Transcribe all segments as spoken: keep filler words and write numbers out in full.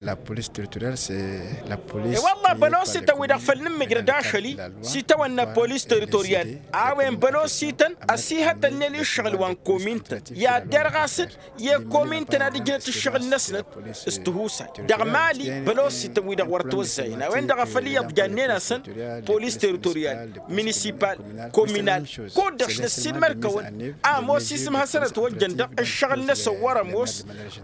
La polis teritorial s-e la polis. E-wălla bălosităn-wi-dăɣ făll-nǝmmǝjrăd ašăl-i s-itawănna polis teritorial a-wen bălosităn ăsihătălnen i-ǝššăɣǝl wa n-komintăn i-ad-derɣasăn i-komintăn ad-ǝjnăt ǝššăɣǝl-năsnăt. S-tihusay dăɣ-mali bălosităn-wi-dăɣ wăr ătwăzzayăn a-wen-dăɣ a făl iyyăḍ jannen-asăn polis teritorial, minisipal, kominal, kud-dăɣ s-năssiilmăd-kăwăn a ămoos isǝm hasăn-ătwăjjăn dăɣ-ǝššăɣǝl-năsăn wăr-ămoos.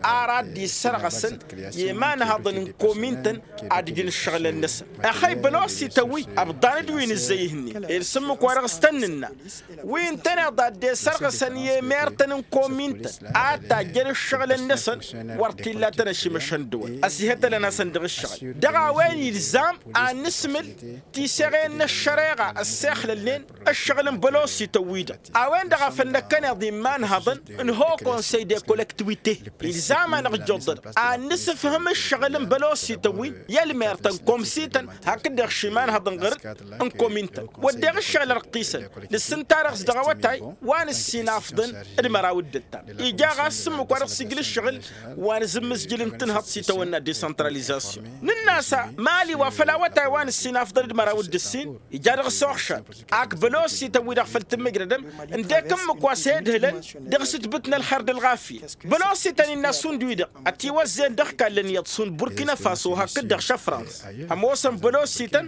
Ar ad-dd-issărɣăsăn i-imanhăḍăn n-komintăn ad-ǝjǝn ǝššăɣǝlăn-năsăn. Ăxăy bălosităn-wi ăbḍan-dd wi nǝzzăy ihǝnnin ed s-ǝmmǝk wa dăɣ-s tăn-nǝnna wi ǝntăneḍ a dd-esărɣǝsăn i-emertăn n-komintăn a tajjăn ǝššăɣǝlăn-năsăn. Wăr t-illa tăn-ăšimăšăn dăwăl ăsihătălăn-asăn dăɣ-ǝššăɣǝl dăɣ-a-wen ilzam ad-nǝsmǝl tiseɣen n-ăššăreɣa ăssexlălnen ǝššăɣǝl n-bălosităn-wi-dăɣ. A-wen-dăɣ a făl năkkăneḍ imanhăḍăn n-haut conseil de collectivité ilzam-anăɣ ǝjjoḍ-dăɣ ad-nǝsǝfhǝm ǝššăɣǝl n-bălosităn-wi i-ălmertăn komsităn hakd-dăɣ š-imanhăḍăn ɣăr-dd n-komintăn wădden ǝššăɣǝl ărqisăn. Nǝssǝnta dăɣ-s dăɣ-awătay wa nǝssinafḍăn d-măraw d-ǝttam ija ɣas s-ǝmmǝk wa dăɣ-s ijǝl ǝššăɣǝl wa nǝzǝmmǝzjǝl n-tǝnhăḍt s-itawănna decentralizasyon. Nǝnn'-as mali wa făl awătay wa nǝssinafḍăn d-măraw d-ǝssin ija dăɣ-s oxšan ak bălosităn-wi-dăɣ făl tǝmmǝjrădăm ǝndek ǝmmǝk wa s-e-ǝdhǝlăn dăɣ-s ǝtbǝtna ălxer d-ălɣafyăt. Bălosităn innă šund-wi-dăɣ ătiwăzzeyăn dăɣ-ikallăn iyyăḍ šund burkina faso hakd-dăɣ šăfrans. Ămoosăn bălosităn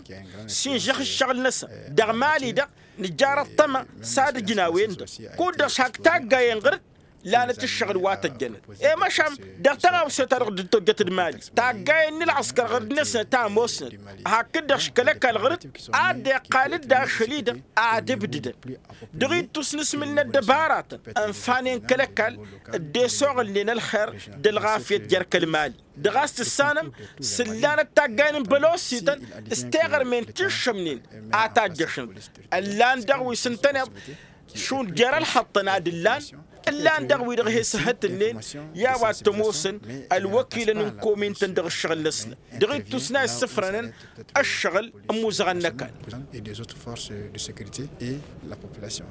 s-inžăx ǝššăɣǝl-năsăn dăɣ-mali-dăɣ nǝjjar ăṭṭăma s-ad-ǝjǝn a-wen-dăɣ kud-dăɣ s-hak taggayen ɣăr-dd lanăt ǝššăɣǝl wa tăjjănăt. I-măšan dăɣ-tăɣawse ta dăɣ-dd-tojjăt d-mali taggayen n-ălɣăskăr ɣăr-dd-năsnăt a ămoosnăt hakd-dăɣ š-kăl-ăkall ɣăr-dd ad-dd-iqqal-dd ašăl-i-dăɣ ad-ǝbdǝdăn. Dăɣ-ittus nǝsmǝl n-ăddăbaratăn ănfanen kăl-ăkall dd-esoɣǝlnen ălxer d-ălɣafyăt jer-kăl-mali. Dăɣ-a-s tǝssanăm s-ǝllanăt taggayen n-bălosităn s-teɣărmen tiššămnen a tajjăšăn. Ǝllan dăɣ-wi s-ǝntăneḍ šund jer-ălxăṭṭăn ad-ǝllan ǝllan dăɣ-wi-dăɣ he-s ǝhhǝtǝlnen i-a-wa t-ămoosăn ălwăkilăn n-komintăn dăɣ-ǝššăɣǝl-năsnăt dăɣ-ittus n-a issǝfrănăn ăššăɣǝl n-imuzăɣăn n-ăkall. Et des autres forces de sécurité et la population.